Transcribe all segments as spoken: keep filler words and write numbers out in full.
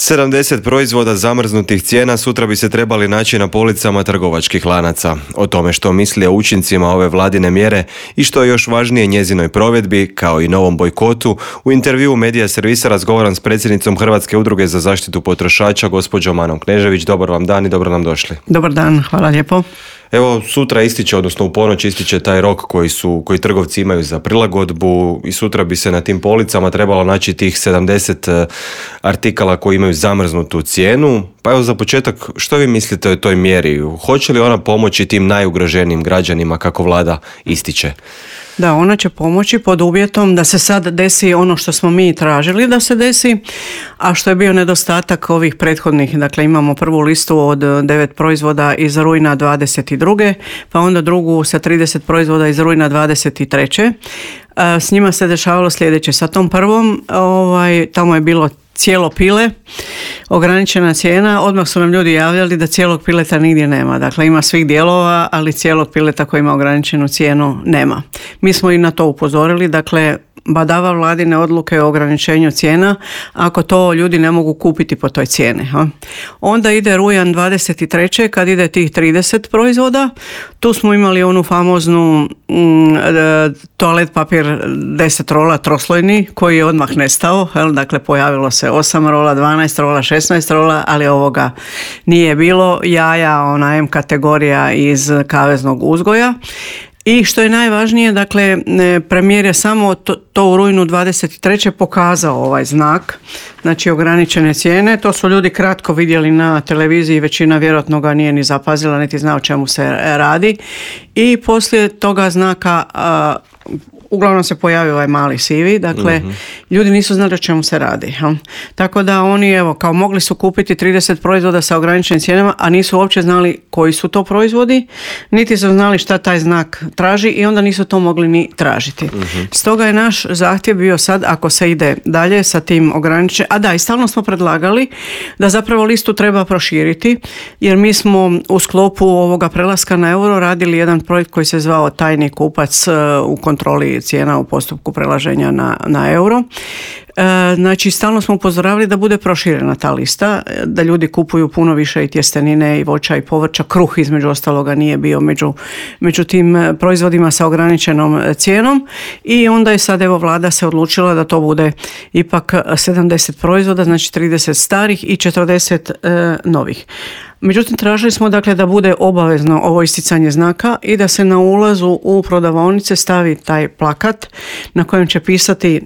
sedamdeset proizvoda zamrznutih cijena sutra bi se trebali naći na policama trgovačkih lanaca. O tome što misli o učincima ove vladine mjere i što je još važnije njezinoj provedbi, kao i novom bojkotu, u intervjuu Medija servisa razgovaram s predsjednicom Hrvatske udruge za zaštitu potrošača, gospođom Anom Knežević. Dobar vam dan i dobro nam došli. Dobar dan, hvala lijepo. Evo, sutra ističe, odnosno u ponoć ističe taj rok koji su, koji trgovci imaju za prilagodbu i sutra bi se na tim policama trebalo naći tih sedamdeset artikala koji imaju zamrznutu cijenu. Pa evo za početak, što vi mislite o toj mjeri? Hoće li ona pomoći tim najugroženijim građanima kako vlada ističe? Da, ona će pomoći pod uvjetom da se sad desi ono što smo mi tražili da se desi, a što je bio nedostatak ovih prethodnih. Dakle, imamo prvu listu od devet proizvoda iz rujna dvadeset druge, pa onda drugu sa trideset proizvoda iz rujna dvadeset treće. S njima se dešavalo sljedeće. Sa tom prvom, ovaj, tamo je bilo cijelo pile, ograničena cijena, odmah su nam ljudi javljali da cijelog pileta nigdje nema. Dakle, ima svih dijelova, ali cijelog pileta koji ima ograničenu cijenu nema. Mi smo i na to upozorili, dakle, badava vladine odluke o ograničenju cijena ako to ljudi ne mogu kupiti po toj cijeni. Ha? Onda ide rujan dvadeset treće kad ide tih trideset proizvoda. Tu smo imali onu famoznu mm, toalet papir deset rola troslojni koji je odmah nestao. Jel? Dakle, pojavilo se osam rola, dvanaest rola, šesnaest rola, ali ovoga nije bilo. Jaja, ona M kategorija iz kaveznog uzgoja. I što je najvažnije, dakle, premijer je samo to, to u rujnu dvadeset treće pokazao ovaj znak, znači ograničene cijene. To su ljudi kratko vidjeli na televiziji, većina vjerojatno ga nije ni zapazila, niti zna o čemu se radi. I poslije toga znaka a, uglavnom se pojavio ovaj mali sivi, dakle, uh-huh. ljudi nisu znali o čemu se radi. Ha? Tako da oni, evo, kao mogli su kupiti trideset proizvoda sa ograničenim cijenama, a nisu uopće znali koji su to proizvodi, niti su znali šta taj znak traži i onda nisu to mogli ni tražiti. Uh-huh. Stoga je naš zahtjev bio sad, ako se ide dalje sa tim ograničenim, a da, i stalno smo predlagali da zapravo listu treba proširiti, jer mi smo u sklopu ovoga prelaska na euro radili jedan projekt koji se zvao Tajni kupac u kontroli cijena u postupku prelaženja na, na euro. E, znači, stalno smo upozoravali da bude proširena ta lista, da ljudi kupuju puno više i tjestenine i voća i povrća. Kruh između ostaloga nije bio među, među tim proizvodima sa ograničenom cijenom i onda je sad evo vlada se odlučila da to bude ipak sedamdeset proizvoda, znači trideset starih i četrdeset e, novih. Međutim, tražili smo dakle da bude obavezno ovo isticanje znaka i da se na ulazu u prodavaonice stavi taj plakat na kojem će pisati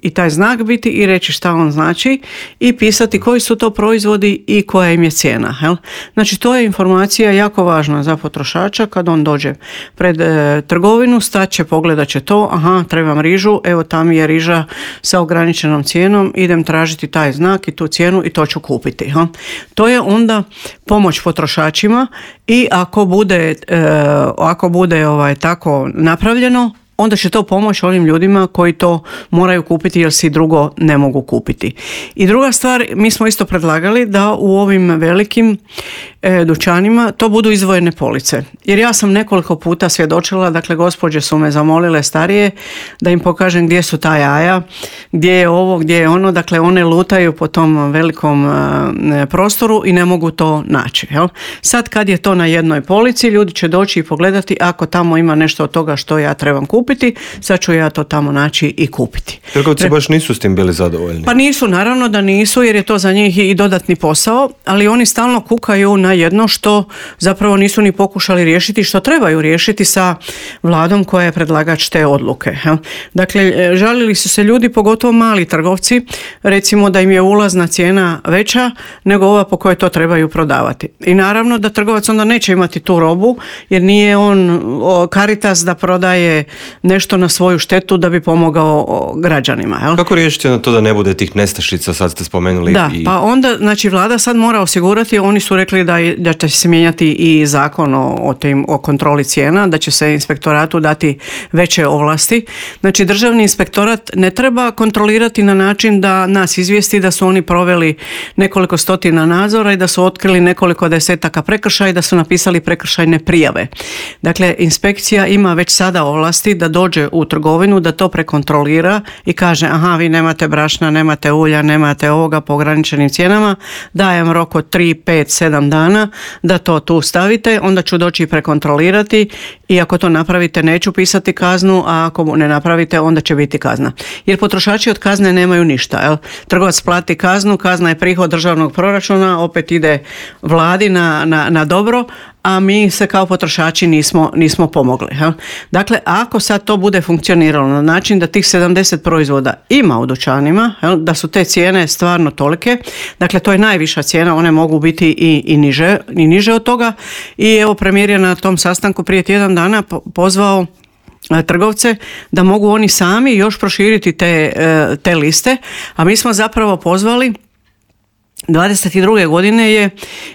i taj znak biti i reći šta on znači i pisati koji su to proizvodi i koja im je cijena. Jel? Znači, to je informacija jako važna za potrošača kad on dođe pred e, trgovinu, staće, pogledat će to, aha, trebam rižu, evo tam je riža sa ograničenom cijenom, idem tražiti taj znak i tu cijenu i to ću kupiti. Jel? To je onda pomoć potrošačima i ako bude, e, ako bude ovaj, tako napravljeno, onda će to pomoći onim ljudima koji to moraju kupiti jer si drugo ne mogu kupiti. I druga stvar, mi smo isto predlagali da u ovim velikim e, dućanima to budu izdvojene police. Jer ja sam nekoliko puta svjedočila, dakle gospođe su me zamolile starije da im pokažem gdje su ta jaja, gdje je ovo, gdje je ono, dakle one lutaju po tom velikom e, prostoru i ne mogu to naći. Jel? Sad kad je to na jednoj polici, ljudi će doći i pogledati ako tamo ima nešto od toga što ja trebam kupiti, sad ću ja to tamo naći i kupiti. Trgovci baš nisu s tim bili zadovoljni. Pa nisu, naravno da nisu, jer je to za njih i dodatni posao, ali oni stalno kukaju na jedno što zapravo nisu ni pokušali riješiti, što trebaju riješiti sa vladom koja je predlagač te odluke. Dakle, žalili su se ljudi, pogotovo mali trgovci, recimo da im je ulazna cijena veća nego ova po kojoj to trebaju prodavati. I naravno da trgovac onda neće imati tu robu, jer nije on Caritas da prodaje nešto na svoju štetu da bi pomogao građanima. Jel? Kako riješiti na to da ne bude tih nestašica, sad ste spomenuli? Da, i... pa onda, znači vlada sad mora osigurati, oni su rekli da da će se mijenjati i zakon o, o, tim, o kontroli cijena, da će se inspektoratu dati veće ovlasti. Znači državni inspektorat ne treba kontrolirati na način da nas izvijesti da su oni proveli nekoliko stotina nadzora i da su otkrili nekoliko desetaka prekršaja i da su napisali prekršajne prijave. Dakle, inspekcija ima već sada ovlasti da dođe u trgovinu, da to prekontrolira i kaže aha, vi nemate brašna, nemate ulja, nemate ovoga po ograničenim cijenama, dajem rok od tri, pet, sedam dana da to tu stavite, onda ću doći i prekontrolirati i ako to napravite neću pisati kaznu, a ako ne napravite onda će biti kazna. Jer potrošači od kazne nemaju ništa. Jel? Trgovac plati kaznu, kazna je prihod državnog proračuna, opet ide vladi na, na, na dobro, a mi se kao potrošači nismo, nismo pomogli. Jel? Dakle, ako sad to bude funkcioniralo na način da tih sedamdeset proizvoda ima u dućanima, jel? Da su te cijene stvarno tolike, dakle to je najviša cijena, one mogu biti i, i, niže, i niže od toga i evo premijer je na tom sastanku prije tjedan dana pozvao trgovce da mogu oni sami još proširiti te, te liste, a mi smo zapravo pozvali dvadeset druge godine je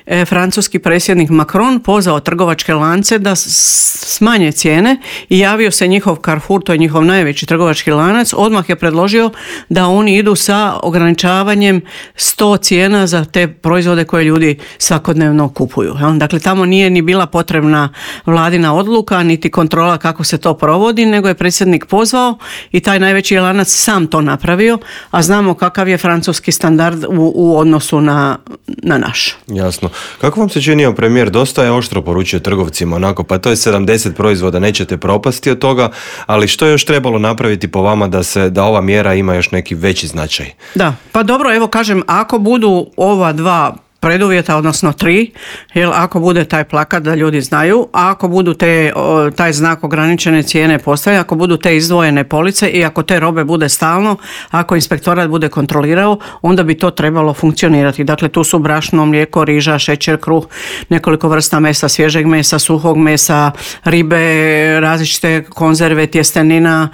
e, francuski predsjednik Macron pozvao trgovačke lance da smanje cijene i javio se njihov Carrefour, to je njihov najveći trgovački lanac, odmah je predložio da oni idu sa ograničavanjem sto cijena za te proizvode koje ljudi svakodnevno kupuju. Dakle, tamo nije ni bila potrebna vladina odluka, niti kontrola kako se to provodi, nego je predsjednik pozvao i taj najveći lanac sam to napravio, a znamo kakav je francuski standard u, u odnosu Na, na naš. Jasno. Kako vam se činio premijer? Dosta je oštro poručio trgovcima, onako, pa to je sedamdeset proizvoda, nećete propasti od toga, ali što je još trebalo napraviti po vama da se da ova mjera ima još neki veći značaj? Da, pa dobro, evo kažem, ako budu ova dva preduvjeta, odnosno tri, jer ako bude taj plakat da ljudi znaju, a ako budu te, taj znak ograničene cijene postaje, ako budu te izdvojene police i ako te robe bude stalno, ako inspektorat bude kontrolirao, onda bi to trebalo funkcionirati. Dakle, tu su brašno, mlijeko, riža, šećer, kruh, nekoliko vrsta mesa, svježeg mesa, suhog mesa, ribe, različite konzerve, tjestenina,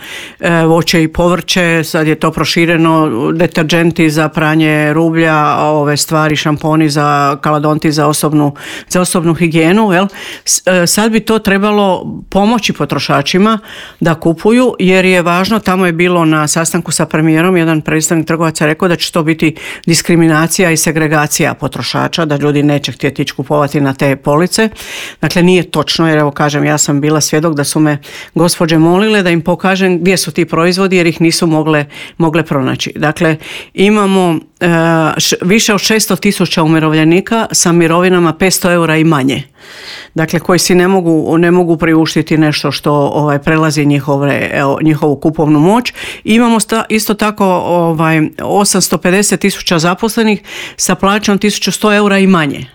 voće i povrće, sad je to prošireno, deterdženti za pranje rublja, ove stvari, šamponi za za kaladonti za osobnu, za osobnu higijenu, jel? Sad bi to trebalo pomoći potrošačima da kupuju, jer je važno, tamo je bilo na sastanku sa premijerom, jedan predstavnik trgovaca rekao da će to biti diskriminacija i segregacija potrošača, da ljudi neće htjeti ići kupovati na te police. Dakle, nije točno, jer evo kažem, ja sam bila svjedok da su me gospođe molile da im pokažem gdje su ti proizvodi, jer ih nisu mogle, mogle pronaći. Dakle, imamo uh, š, više od šesto tisuća umirovljenika sa mirovinama petsto eura i manje. Dakle, koji si ne mogu, ne mogu priuštiti nešto što ovaj, prelazi njihove, evo, njihovu kupovnu moć. Imamo sta, isto tako ovaj, osamsto pedeset tisuća zaposlenih sa plaćom tisuću sto eura i manje.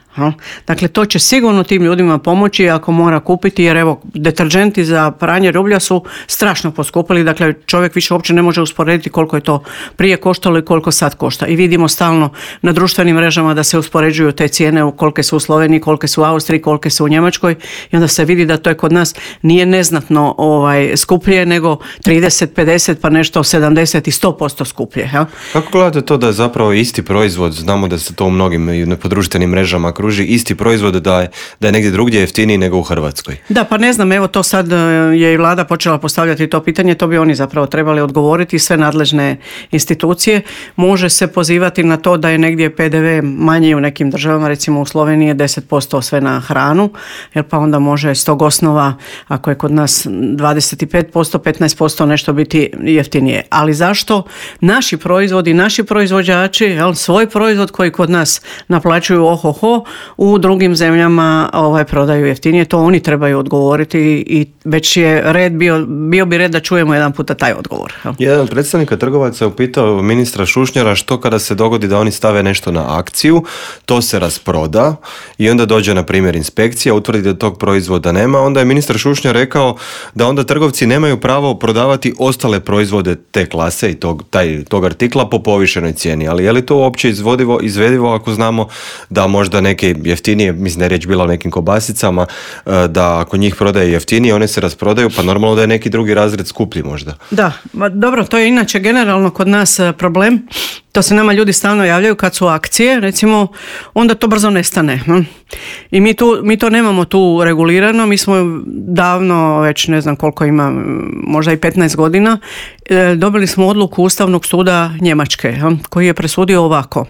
Dakle, to će sigurno tim ljudima pomoći ako mora kupiti, jer evo, deterdženti za pranje rublja su strašno poskupili, dakle čovjek više uopće ne može usporediti koliko je to prije koštalo i koliko sad košta. I vidimo stalno na društvenim mrežama da se uspoređuju te cijene, kolike su u Sloveniji, kolike su u Austriji, kolike su u Njemačkoj, i onda se vidi da to je kod nas nije neznatno ovaj, skuplje, nego trideset, pedeset pa nešto sedamdeset i sto posto skuplje. Ja? Kako gledate to da je zapravo isti proizvod, znamo da se to u mnogim podruštvenim mrežama kruži, isti proizvod da je, da je negdje drugdje jeftiniji nego u Hrvatskoj? Da, pa ne znam, evo to sad je i vlada počela postavljati to pitanje, to bi oni zapravo trebali odgovoriti, sve nadležne institucije. Može se pozivati na to da je negdje pe de ve manji u nekim državama, recimo u Sloveniji je deset posto sve na hranu, jer pa onda može s tog osnova, ako je kod nas dvadeset pet posto, petnaest posto nešto biti jeftinije. Ali zašto naši proizvodi, naši proizvođači, jel, svoj proizvod koji kod nas naplaćuju ohoho, u drugim zemljama ovaj, prodaju jeftinije, to oni trebaju odgovoriti i već je red bio, bio bi red da čujemo jedan puta taj odgovor. Jedan predstavnika trgovaca je upitao ministra Šušnjara što kada se dogodi da oni stave nešto na akciju, to se rasproda i onda dođe na primjer inspekcija, utvrdi da tog proizvoda nema, onda je ministar Šušnjar rekao da onda trgovci nemaju pravo prodavati ostale proizvode te klase i tog, taj, tog artikla po povišenoj cijeni, ali je li to uopće izvodivo, izvedivo ako znamo da možda neki neke jeftinije, mislim da je riječ bila o nekim kobasicama, da ako njih prodaje jeftinije, one se rasprodaju, pa normalno da je neki drugi razred skuplji možda. Da, ma dobro, to je inače generalno kod nas problem. To se nama ljudi stalno javljaju kad su akcije, recimo, onda to brzo nestane. Hm? I mi, tu, mi to nemamo tu regulirano, mi smo davno, već ne znam koliko ima, možda i petnaest godina, e, dobili smo odluku Ustavnog suda Njemačke, hm? koji je presudio ovako.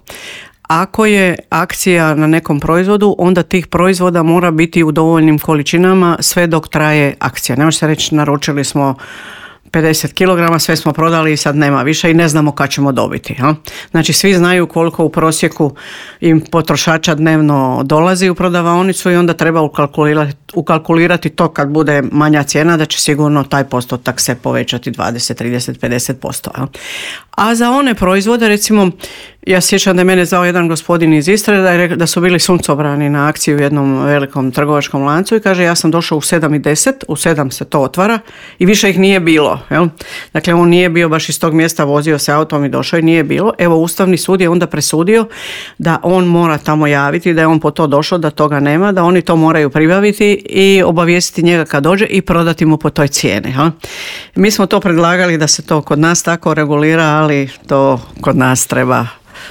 Ako je akcija na nekom proizvodu, onda tih proizvoda mora biti u dovoljnim količinama sve dok traje akcija. Ne može se reći naručili smo pedeset kilograma, sve smo prodali i sad nema više i ne znamo kad ćemo dobiti. Ha? Znači svi znaju koliko u prosjeku im potrošača dnevno dolazi u prodavaonicu i onda treba ukalkulirati, ukalkulirati to kad bude manja cijena da će sigurno taj postotak se povećati dvadeset, trideset, pedeset posto. Ha? A za one proizvode, recimo, ja sjećam da je mene zvao jedan gospodin iz Istre da, je, da su bili suncobrani na akciji u jednom velikom trgovačkom lancu i kaže ja sam došao u sedam i deset, u sedam se to otvara i više ih nije bilo. Jel? Dakle, on nije bio baš iz tog mjesta, vozio se autom i došao i nije bilo. Evo, Ustavni sud je onda presudio da on mora tamo javiti, da je on po to došao, da toga nema, da oni to moraju pribaviti i obavijestiti njega kad dođe i prodati mu po toj cijeni. Jel? Mi smo to predlagali da se to kod nas tako regulira, ali to kod nas treba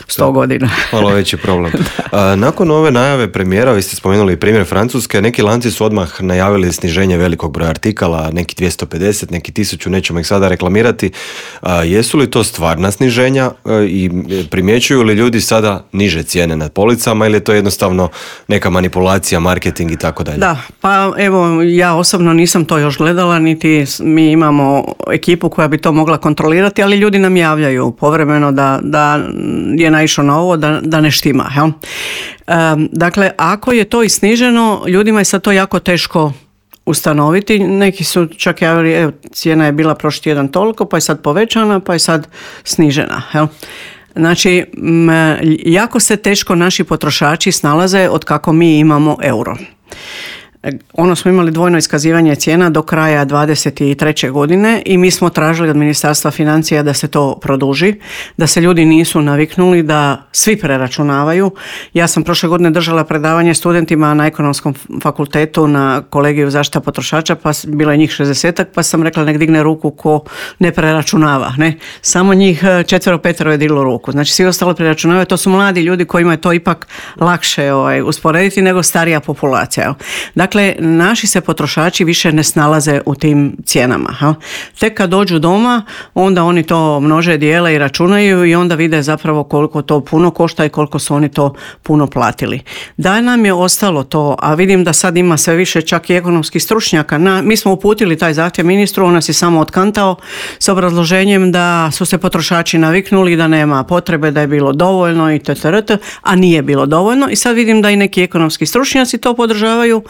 sto godina. Malo veći problem. A, nakon ove najave premijera, vi ste spomenuli primjer Francuske, neki lanci su odmah najavili sniženje velikog broja artikala, neki dvjesto pedeset, neki tisuću, nećemo ih sada reklamirati. A, jesu li to stvarna sniženja a, i primjećuju li ljudi sada niže cijene na policama ili je to jednostavno neka manipulacija, marketing i tako dalje? Da, pa evo, ja osobno nisam to još gledala, niti mi imamo ekipu koja bi to mogla kontrolirati, ali ljudi nam javljaju povremeno da, da je naišao na ovo, da, da ne štima. Jel? Um, dakle, ako je to i sniženo, ljudima je sad to jako teško ustanoviti. Neki su čak javili, evo, cijena je bila prošli tjedan toliko, pa je sad povećana, pa je sad snižena. Jel? Znači, m, jako se teško naši potrošači snalaze od kako mi imamo euro. Ono smo imali dvojno iskazivanje cijena do kraja dvadeset treće godine i mi smo tražili od Ministarstva financija da se to produži, da se ljudi nisu naviknuli da svi preračunavaju. Ja sam prošle godine držala predavanje studentima na Ekonomskom fakultetu na kolegiju zaštita potrošača, pa bilo je njih šezdesetak, pa sam rekla nek digne ruku ko ne preračunava. Ne? Samo njih četvero, petero je diglo ruku. Znači svi ostalo preračunavaju, to su mladi ljudi kojima je to ipak lakše ovaj, usporediti nego starija populacija. Dakle, Dakle, naši se potrošači više ne snalaze u tim cijenama. Ha? Tek kad dođu doma, onda oni to množe, dijele i računaju i onda vide zapravo koliko to puno košta i koliko su oni to puno platili. Da nam je ostalo to, a vidim da sad ima sve više čak i ekonomskih stručnjaka. Na, mi smo uputili taj zahtjev ministru, on nas je samo otkantao s obrazloženjem da su se potrošači naviknuli, da nema potrebe, da je bilo dovoljno i ttrt, a nije bilo dovoljno. I sad vidim da i neki ekonomski stručnjaci to podržavaju,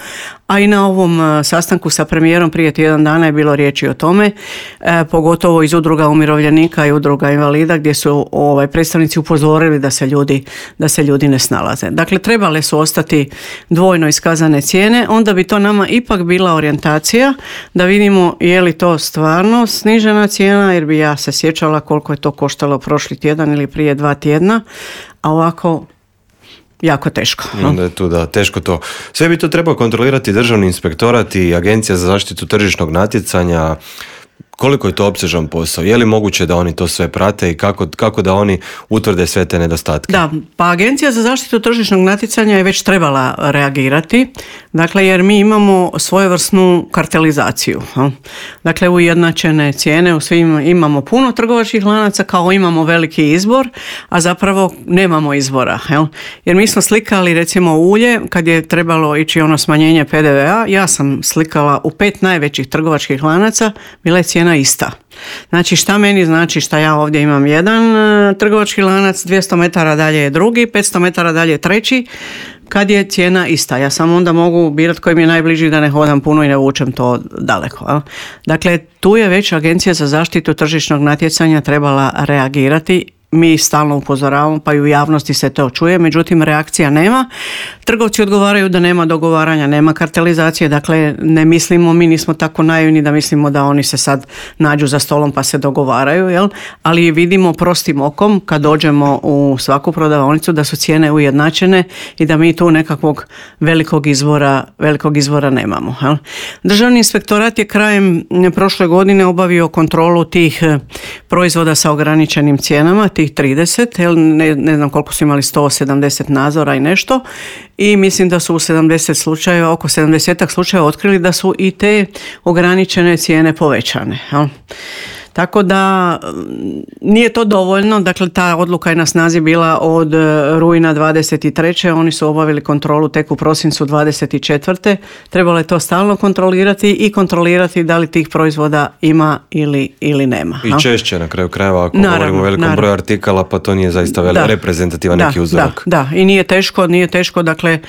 a i na ovom sastanku sa premijerom prije tjedan dana je bilo riječi o tome, e, pogotovo iz udruga umirovljenika i udruga invalida gdje su ovaj, predstavnici upozorili da se ljudi, da se ljudi ne snalaze. Dakle, trebale su ostati dvojno iskazane cijene, onda bi to nama ipak bila orijentacija da vidimo je li to stvarno snižena cijena, jer bi ja se sjećala koliko je to koštalo prošli tjedan ili prije dva tjedna, a ovako jako teško. No? Onda je tu da, teško to. Sve bi to trebao kontrolirati Državni inspektorat i Agencija za zaštitu tržišnog natjecanja. Koliko je to opsežan posao? Je li moguće da oni to sve prate i kako, kako da oni utvrde sve te nedostatke? Da, pa Agencija za zaštitu tržišnog natjecanja je već trebala reagirati, dakle jer mi imamo svojevrsnu kartelizaciju. Dakle, ujednačene cijene, u svim imamo puno trgovačkih lanaca, kao imamo veliki izbor, a zapravo nemamo izbora. Jer mi smo slikali recimo ulje, kad je trebalo ići ono smanjenje pe de ve a, ja sam slikala u pet najvećih trgovačkih lanaca, bila je cijena ista. Znači šta meni znači šta ja ovdje imam jedan uh, trgovački lanac, dvjesto metara dalje je drugi, petsto metara dalje je treći, kad je cijena ista. Ja samo onda mogu birati koji mi je najbliži da ne hodam puno i ne vučem to daleko. A? Dakle, tu je već Agencija za zaštitu tržišnog natjecanja trebala reagirati. mi stalno upozoravamo, pa i u javnosti se to čuje, međutim reakcija nema. Trgovci odgovaraju da nema dogovaranja, nema kartelizacije, dakle ne mislimo, mi nismo tako naivni da mislimo da oni se sad nađu za stolom pa se dogovaraju, jel? Ali vidimo prostim okom kad dođemo u svaku prodavaonicu da su cijene ujednačene i da mi tu nekakvog velikog izvora, velikog izvora nemamo. Jel? Državni inspektorat je krajem prošle godine obavio kontrolu tih proizvoda sa ograničenim cijenama, tih trideset, jel? Ne, ne znam koliko su imali, sto sedamdeset nadzora i nešto, i mislim da su u sedamdeset slučajeva, oko sedamdeset slučajeva otkrili da su i te ograničene cijene povećane. Jel? Tako da nije to dovoljno, dakle ta odluka je na snazi bila od rujna dvadeset treće Oni su obavili kontrolu tek u prosincu dvadeset četvrte Trebalo je to stalno kontrolirati i kontrolirati da li tih proizvoda ima ili, ili nema. I češće na kraju krajeva, ako naravno, govorimo o velikom naravno. broju artikala, pa to nije zaista velik reprezentativan neki uzorak. Da, da, i nije teško, nije teško, dakle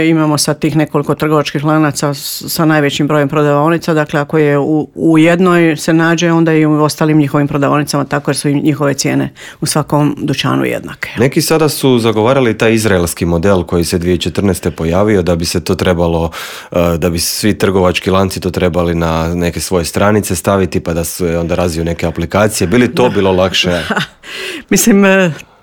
imamo sad tih nekoliko trgovačkih lanaca sa najvećim brojem prodavaonica, dakle ako je u, u jednoj se nađe, onda i u ostalim njihovim prodavaonicama, tako jer su im njihove cijene u svakom dućanu jednake. Neki sada su zagovarali taj izraelski model koji se dvije tisuće četrnaeste pojavio, da bi se to trebalo, da bi svi trgovački lanci to trebali na neke svoje stranice staviti, pa da se onda razviju neke aplikacije. Bi li to da. bilo lakše? Mislim,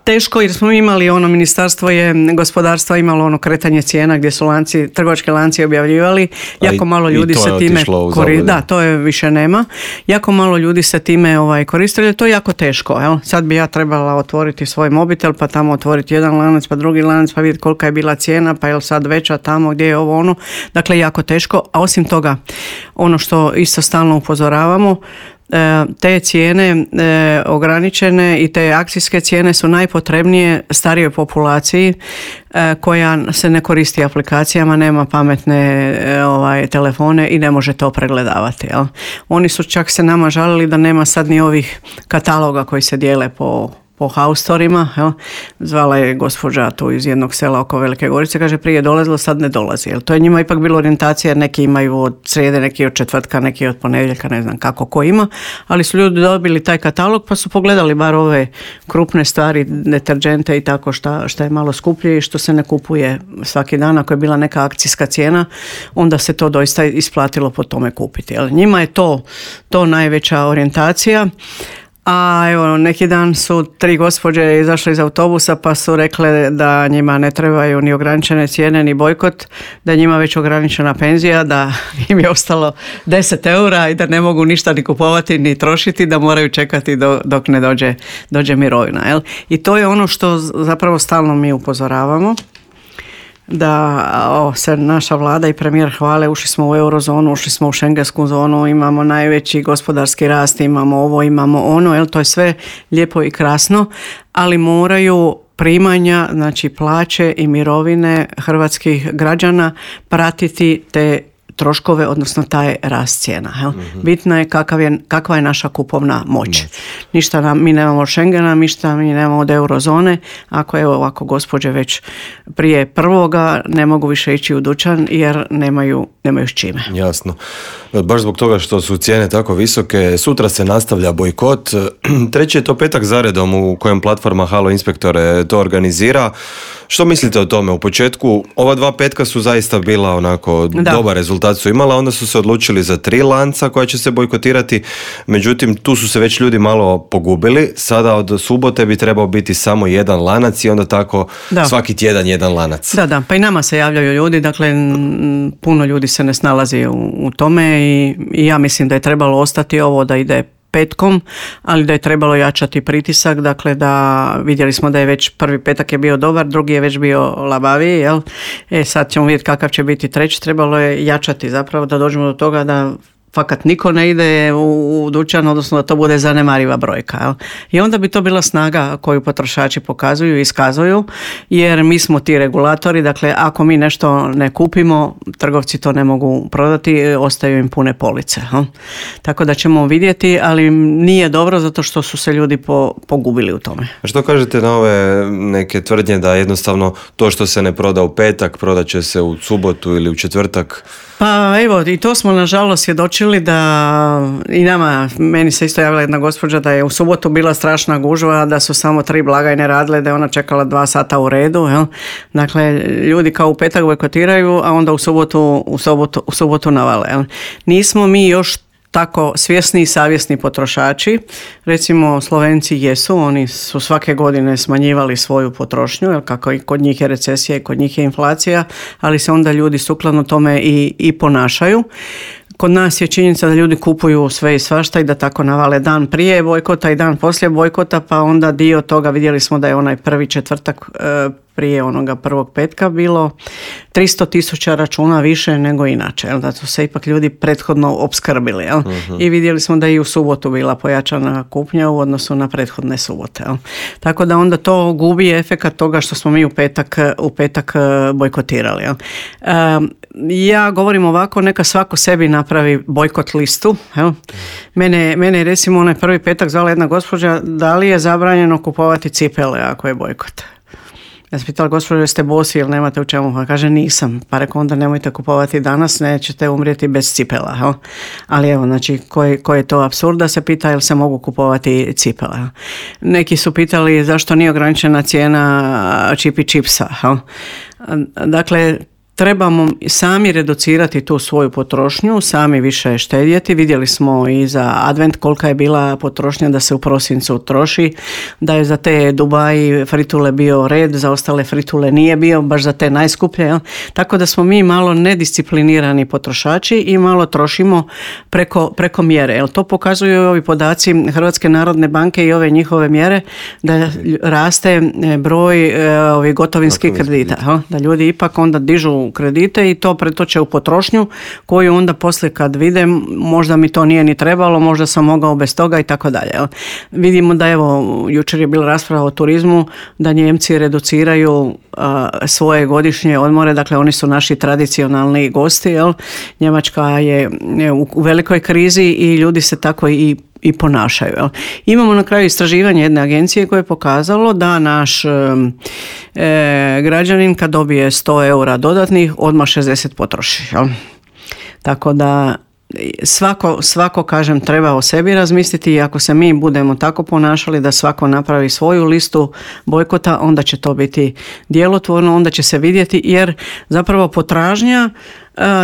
teško, jer smo imali ono, ministarstvo je gospodarstva imalo ono kretanje cijena gdje su lanci, trgovački lanci objavljivali, jako malo ljudi se time koristili. Da, to je više nema. Jako malo ljudi se time ovaj, koristili, to je jako teško. Jel? Sad bi ja trebala otvoriti svoj mobitel, pa tamo otvoriti jedan lanac, pa drugi lanac, pa vidjeti kolika je bila cijena, pa je li sad veća tamo gdje je ovo ono. Dakle, jako teško. A osim toga, ono što isto stalno upozoravamo, te cijene e, ograničene i te akcijske cijene su najpotrebnije starijoj populaciji e, koja se ne koristi aplikacijama, nema pametne e, ovaj, telefone i ne može to pregledavati. Jel? Oni su čak se nama žalili da nema sad ni ovih kataloga koji se dijele po po haustorima, jel? Zvala je gospođa tu iz jednog sela oko Velike Gorice, kaže prije dolazilo, sad ne dolazi. Jel? To je njima ipak bilo orijentacija, jer neki imaju od srijede, neki od četvrtka, neki od ponedjeljka, ne znam kako ko ima, ali su ljudi dobili taj katalog pa su pogledali bar ove krupne stvari, deterđente i tako šta, šta je malo skuplje i što se ne kupuje svaki dan. Ako je bila neka akcijska cijena, onda se to doista isplatilo po tome kupiti. Jel? Njima je to, to najveća orijentacija. A evo, neki dan su tri gospođe izašle iz autobusa pa su rekle da njima ne trebaju ni ograničene cijene ni bojkot, da je njima već ograničena penzija, da im je ostalo deset eura i da ne mogu ništa ni kupovati ni trošiti, da moraju čekati do, dok ne dođe, dođe mirovina. Jel? I to je ono što zapravo stalno mi upozoravamo. Da o, se naša vlada i premijer hvale, ušli smo u eurozonu, ušli smo u šengensku zonu, imamo najveći gospodarski rast, imamo ovo, imamo ono, jel, to je sve lijepo i krasno, ali moraju primanja, znači plaće i mirovine hrvatskih građana pratiti te troškove, odnosno taj rast cijena. Jel? Mm-hmm. Bitno je, kakav je kakva je naša kupovna moć. Mm. Ništa nam, mi nemamo od Schengena, ništa mi nemamo od eurozone. Ako evo ovako gospođe već prije prvoga ne mogu više ići u dućan jer nemaju, nemaju s čime. Jasno. Baš zbog toga što su cijene tako visoke, sutra se nastavlja bojkot. Treći je to petak zaredom u kojem platforma Halo Inspektore to organizira. Što mislite o tome? U početku ova dva petka su zaista bila onako da. dobar rezultat su imala, onda su se odlučili za tri lanca koja će se bojkotirati, međutim tu su se već ljudi malo pogubili, sada od subote bi trebao biti samo jedan lanac i onda tako da. svaki tjedan jedan lanac. Da, da, pa i nama se javljaju ljudi, dakle puno ljudi se ne snalazi u, u tome i, i ja mislim da je trebalo ostati ovo da ide petkom, ali da je trebalo jačati pritisak, dakle da vidjeli smo da je već prvi petak je bio dobar, drugi je već bio labaviji, jel? E sad ćemo vidjeti kakav će biti treći, trebalo je jačati zapravo da dođemo do toga da fakat niko ne ide u, u dućan, odnosno da to bude zanemariva brojka. Jel? I onda bi to bila snaga koju potrošači pokazuju i iskazuju, jer mi smo ti regulatori, dakle ako mi nešto ne kupimo, trgovci to ne mogu prodati, ostaju im pune police. Jel? Tako da ćemo vidjeti, ali nije dobro zato što su se ljudi po, pogubili u tome. A što kažete na ove neke tvrdnje da jednostavno to što se ne proda u petak, prodat će se u subotu ili u četvrtak? Pa evo, i to smo nažalost svjedočili uočili da i nama, meni se isto javila jedna gospođa da je u subotu bila strašna gužva, da su samo tri blagajne radile, da je ona čekala dva sata u redu. Jel? Dakle, ljudi kao u petak bojkotiraju, a onda u subotu, u subotu, u subotu navale. Jel? Nismo mi još tako svjesni i savjesni potrošači. Recimo Slovenci jesu, oni su svake godine smanjivali svoju potrošnju, jer kako i kod njih je recesija i kod njih je inflacija, ali se onda ljudi sukladno tome i, i ponašaju. Kod nas je činjenica da ljudi kupuju sve i svašta i da tako navale dan prije bojkota i dan poslije bojkota, pa onda dio toga vidjeli smo da je onaj prvi četvrtak e, prije onoga prvog petka bilo tristo tisuća računa više nego inače, jel? Da su se ipak ljudi prethodno opskrbili. Jel? Uh-huh. I vidjeli smo da je i u subotu bila pojačana kupnja u odnosu na prethodne subote. Jel? Tako da onda to gubi efekat toga što smo mi u petak, u petak bojkotirali. Jel? E, ja govorim ovako, neka svako sebi napravi bojkot listu. Jel? Mene, mene je recimo onaj prvi petak zvala jedna gospođa da li je zabranjeno kupovati cipele ako je bojkot. Ja sam pitala, gospođo, jeste bosi ili nemate u čemu? Pa kaže, nisam. Pa rekao, onda nemojte kupovati danas, nećete umrijeti bez cipela. Jel? Ali evo, znači, koji, koji je to apsurd da se pita jel se mogu kupovati cipela. Jel? Neki su pitali zašto nije ograničena cijena čipi čipsa. Jel? Dakle, trebamo sami reducirati tu svoju potrošnju, sami više štedjeti. Vidjeli smo i za advent kolika je bila potrošnja da se u prosincu troši, da je za te Dubai fritule bio red, za ostale fritule nije bio, baš za te najskuplje. Jel? Tako da smo mi malo nedisciplinirani potrošači i malo trošimo preko, preko mjere. Jel? To pokazuju ovi podaci Hrvatske narodne banke i ove njihove mjere da raste broj ovih gotovinskih kredita. Jel? Da ljudi ipak onda dižu kredite i to pretoče u potrošnju koju onda poslije kad vide možda mi to nije ni trebalo, možda sam mogao bez toga i tako dalje. Vidimo da evo jučer je bila rasprava o turizmu da Nijemci reduciraju a, svoje godišnje odmore, dakle oni su naši tradicionalni gosti, jel? Njemačka je u, u velikoj krizi i ljudi se tako i i ponašaju. Jel? Imamo na kraju istraživanje jedne agencije koje je pokazalo da naš e, građanin kad dobije sto eura dodatnih odmah šezdeset potroši. Jel? Tako da svako, svako, kažem, treba o sebi razmisliti i ako se mi budemo tako ponašali da svako napravi svoju listu bojkota, onda će to biti djelotvorno, onda će se vidjeti jer zapravo potražnja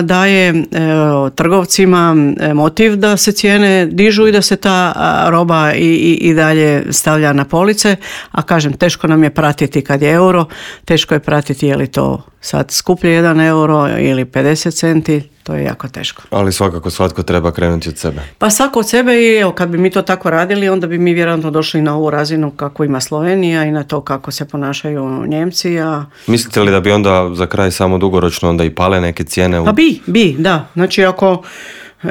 daje trgovcima motiv da se cijene dižu i da se ta roba i, i, i dalje stavlja na police, a kažem, teško nam je pratiti kad je euro, teško je pratiti je li to sad skuplje jedan euro ili pedeset centi, to je jako teško. Ali svakako svatko treba krenuti od sebe. Pa svako od sebe i evo, kad bi mi to tako radili, onda bi mi vjerojatno došli na ovu razinu kako ima Slovenija i na to kako se ponašaju Njemci. A... Mislite li da bi onda za kraj samo dugoročno onda i pale neke cijene? U... Pa bi, bi, da. Znači ako...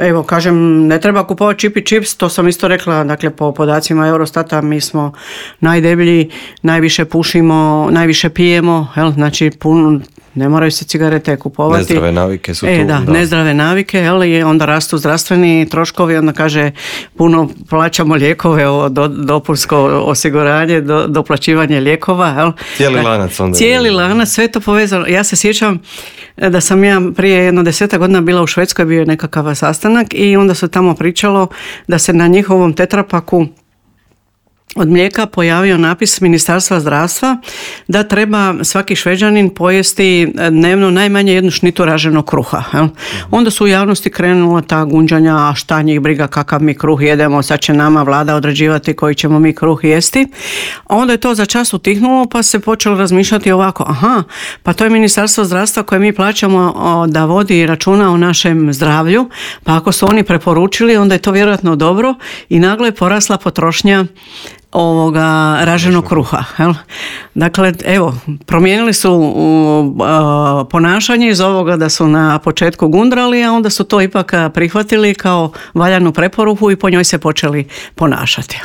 Evo, kažem, ne treba kupovati čip i čips, to sam isto rekla, dakle, po podacima Eurostata mi smo najdeblji, najviše pušimo, najviše pijemo, jel, znači, puno, ne moraju se cigarete kupovati. Nezdrave navike su e, tu. Da, da, nezdrave navike, jel, i onda rastu zdravstveni troškovi, onda kaže, puno plaćamo lijekove, do, dopunsko osiguranje, do, doplaćivanje lijekova, jel. Cijeli lanac onda. Cijeli lanac, sve to povezano. Ja se sjećam da sam ja prije jedno desetak godina bila u Švedskoj, bio je nekakav sastanak i onda se tamo pričalo da se na njihovom tetrapaku od mlijeka pojavio napis Ministarstva zdravstva da treba svaki Šveđanin pojesti dnevno najmanje jednu šnitu raženog kruha. Jel? Onda su u javnosti krenula ta gunđanja, a šta njih briga kakav mi kruh jedemo, sad će nama vlada određivati koji ćemo mi kruh jesti. A onda je to za čas utihnulo pa se počelo razmišljati ovako, aha, pa to je Ministarstvo zdravstva koje mi plaćamo da vodi računa o našem zdravlju, pa ako su oni preporučili, onda je to vjerojatno dobro i naglo je porasla potrošnja ovoga raženog kruha. Jel? Dakle, evo, promijenili su uh, ponašanje iz ovoga da su na početku gundrali, a onda su to ipak prihvatili kao valjanu preporuku i po njoj se počeli ponašati.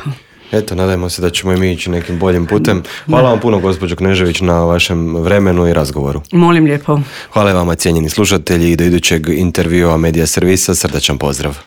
Eto, nadajmo se da ćemo i mi ići nekim boljim putem. Hvala vam puno, gospođo Knežević, na vašem vremenu i razgovoru. Molim lijepo. Hvala vama, cijenjeni slušatelji, i do idućeg intervjua Medija servisa srdačan pozdrav.